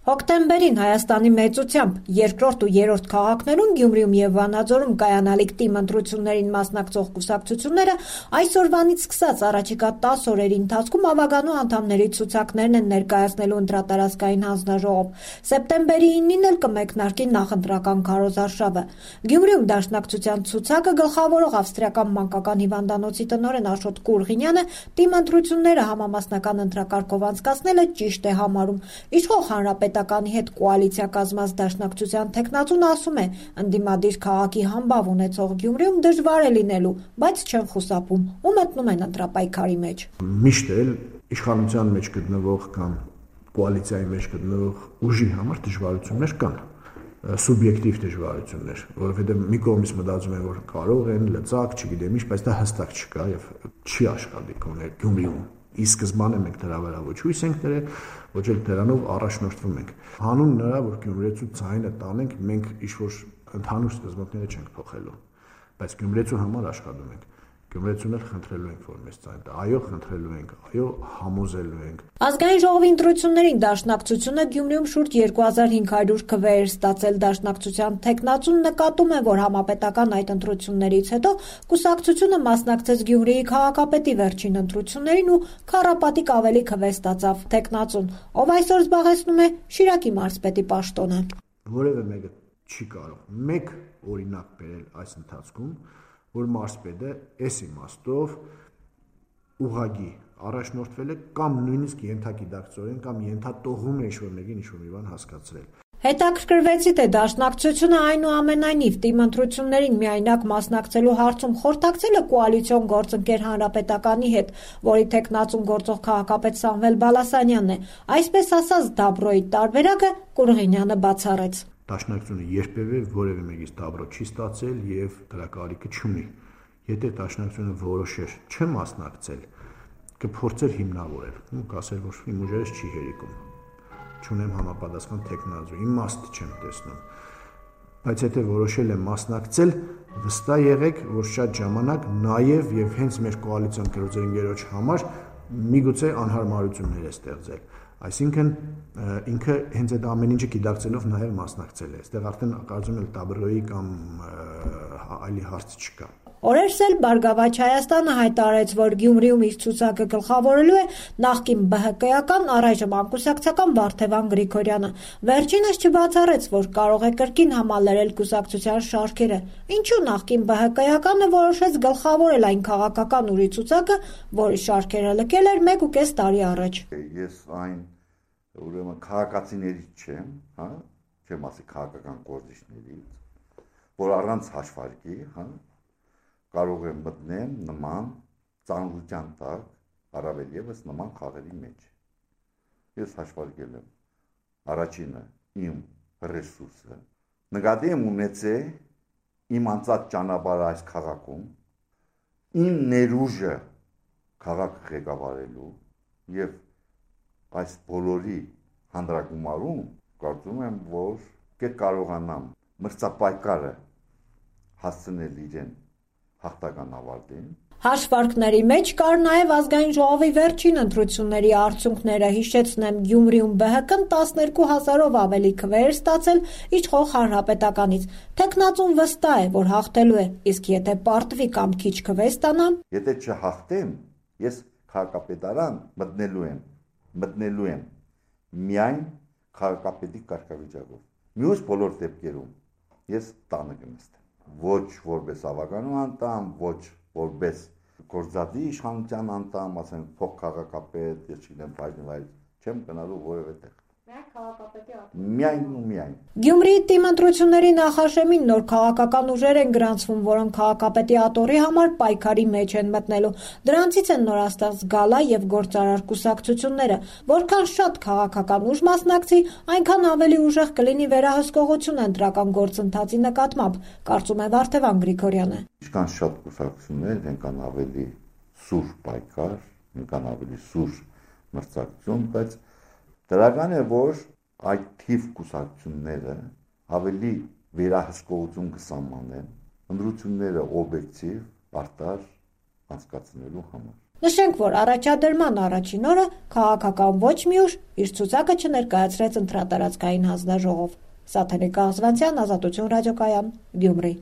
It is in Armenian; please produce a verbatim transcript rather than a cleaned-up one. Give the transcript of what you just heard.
Հոկտեմբերին Հայաստանի մեծությամբ երկրորդ ու երրորդ քաղաքներում Գյումրիում եւ Վանաձորում կայանալիք թիմ ընտրություններին մասնակցող կուսակցությունները այսօրվանից սկսած առաջիկա տասը օրերի ընթացքում ավագանու անդամների ցուցակներն են ներկայացնելու ընտրատարածքային հանձնաժողով։ Սեպտեմբերի իննին էլ կմեկնարկի նախընտրական քարոզարշավը։ Գյումրիում Դաշնակցության ցուցակը գլխավորող ավստրիական մանկական հիվանդանոցի տնօրեն Աշոտ Կուրղինյանը թիմ ընտրությունները համամասնական ընտրակարգով անցկացնելը ճիշտ է համարում։ Իշխող Հանրապետականի հետ կոալիցիա կազմած Դաշնակցության թեկնածուն ասում է, ընդդիմադիր քաղաքի համբավ ունեցող Գյումրիում դժվար է լինելու, բայց չեն խուսափում ու մտնում են ընտրապայքարի մեջ։ Միշտ էլ իշխանության մեջ գտնվող կամ կոալիցիայի մեջ գտնվող ուժի համար դժվարություններ կան, սուբյեկտիվ դժվարություններ, որովհետև մի կողմից մտածում են, որ կարող են լծակ, չգիտեմ ինչ, բայց դա հստակ չկա եւ չի աշխատի Գյումրիում։ Ի սկզբանե մենք դրա վրա ոչ հույս ենք դրել, ոչ էլ դրանով առաջնորդվում ենք։ Հանուն նրա, որ գյումրեցու ձայնը տանենք, մենք ինչ-որ ընդհանուր սկզբունքները չենք փոխելու, բայց գյումրեցու համար աշխատում ենք։ Գյումրեցուներ խնդրելու ենք, որ մեզ ձայն տա, այո, խնդրելու ենք, այո, համոզելու ենք։ Ազգային ժողովի ընտրություններին Դաշնակցությունը Գյումրիում շուրջ երկու հազար հինգ հարյուր քվե էր ստացել։ Դաշնակցության թեկնածուն նկատում է, որ համապետական այդ ընտրություններից հետո կուսակցությունը մասնակցեց Գյումրիի քաղաքապետի վերջին ընտրություններին ու քառապատիկ ավելի քվե ստացավ թեկնածուն, ով այսօր զբաղեցնում է Շիրակի մարզպետի պաշտոնը։ Որևէ մեկը չի կարող մեկ օրինակ բերել այս ընթացքում, որ մարզպետը այս իմաստով ուղղակի առաջնորդվել է կամ նույնիսկ ենթագիտակցորեն կամ ենթատողում է ինչ-որ մեկին ինչ-որ մի բան հասկացրել։ Հետաքրքրվեցի, թե Դաշնակցությունը այնուամենայնիվ թիմ ընտրություններին միայնակ մասնակցելու հարցում խորհրդակցել է կոալիցիոն գործընկեր Հանրապետականի հետ, որի թեկնածուն գործող քաղաքապետ Սամվել Բալասանյանն է։ Այսպես ասած, Դաբրոյի տարբերակը Կուրղինյանը բացառեց։ Դաշնակցությունը երբևէ որևէ մեկից դաբրո չի ստացել եւ դրա կարիքը չունի։ Եթե Դաշնակցությունը որոշեր չմասնակցել, կփորձեր հիմնավորել, ու կասեր, որ իմ ուժերս չի հերիքում, չունեմ համապատասխան թեկնածու, իմաստ չեմ տեսնում։ Բայց եթե որոշել է մասնակցել, վստահ եղեք, որ շատ ժամանակ նաեւ եւ հենց մեր կոալիցիոն գործընկերոջ համար միգուցե անհարմարություններ է ստեղծել։ Այսինքն ինքը հենց այդ ամեն ինչը գիտակցելով նաև մասնակցել է։ Այստեղ արդեն կարծում եմ Դաբրոյի կամ այլի հարց չկա։ Օրերս էլ Բարգավաճ Հայաստանը հայտարարեց, որ Գյումրիում իր ցուցակը գլխավորելու է նախկին ԲՀԿ-ական, առայժմ անկուսակցական Վարդևան Գրիգորյանը։ Վերջինս չբացառեց, որ կարող է կրկին համալրել կուսակցության շարքերը։ Ինչու նախկին ԲՀԿ-ականը որոշեց գլխավորել այն քաղաքական ուժի ցուցակը, որի շարքերը լքել էր մեկ ու կես տարի առաջ։ Ես այն ուրեմն քաղաքացիներից չեմ, հա, չեմ ասի քաղաքական գործիչներից, որ առանց հաշվարկի, հա, կարող եմ մտնեմ նման ծանրության տակ, առավել ևս նման խաղերի մեջ։ Ես հաշվարկել եմ առաջինը իմ ռեսուրսը, նկատի եմ ունեցել իմ անցած ճանապարհը այս քաղաքում, իմ ներուժը քաղաքը ղեկավարելու եւ այս բոլորի հանդրագումարում կարծում եմ, որ կկարողանամ մրցապայքարը հասցնել իրեն հաղթական ավարտին։ Հաշվարկների մեջ կար նաև ազգային ժողովի վերջին ընտրությունների արդյունքները։ Հիշեցնեմ, Գյումրիում ԲՀԿ-ն տասներկու հազարով ավելի քվե էր ստացել իշխող Հանրապետականից։ Թեկնածուն վստահ է, որ հաղթելու է, իսկ եթե պարտվի կամ քիչ քվե ստանա, եթե չհաղթեմ, ես քաղաքապետարան մտնելու եմ, մտնելու եմ միայն քաղաքապետի կարգավիճակով։ Մյուս բոլոր դեպքերում ես տանը կնստեմ։ Ոչ որպես ավականու անդամ, ոչ որպես գործադի իշխանության անդամ, ասենք փոխ քաղաքապետ, ես չգիտեմ, բայց չեմ գնալու որևէ տեղ։ Միայն քաղաքապետի աթոռ։ Միայն ու միայն։ Գյումրիի թիմ ընտրությունների նախաշեմին նոր քաղաքական ուժեր են գրանցվում, որոնք քաղաքապետի աթոռի համար պայքարի մեջ են մտնելու։ Դրանցից են նորաստեղծ Գալա եւ գործարար կուսակցությունները։ Որքան շատ քաղաքական ուժ մասնակցի, այնքան ավելի ուժեղ կլինի վերահսկողությունը ընտրական գործընթացի նկատմամբ, կարծում է Վարդևան Գրիգորյանը։ Ինչքան շատ կուսակցություններ, այնքան ավելի սուր պայքար, այնքան ավելի սուր մրցակցություն, բայց դրական է, որ այդ թիվ կուսակցությունները ավելի վերահսկողություն կսահմանեն ընտրությունները օբյեկտիվ, արդար անցկացնելու համար։ Նշենք, որ առաջադրման առաջին օրը քաղաքական ոչ մի ուժ իր ցուցակը չներկայացրեց ընտրատարածքային հանձնաժողով։ Սաթենիկ Աղզվանցյան, Ազատություն ռադիոկայան, Գյումրի։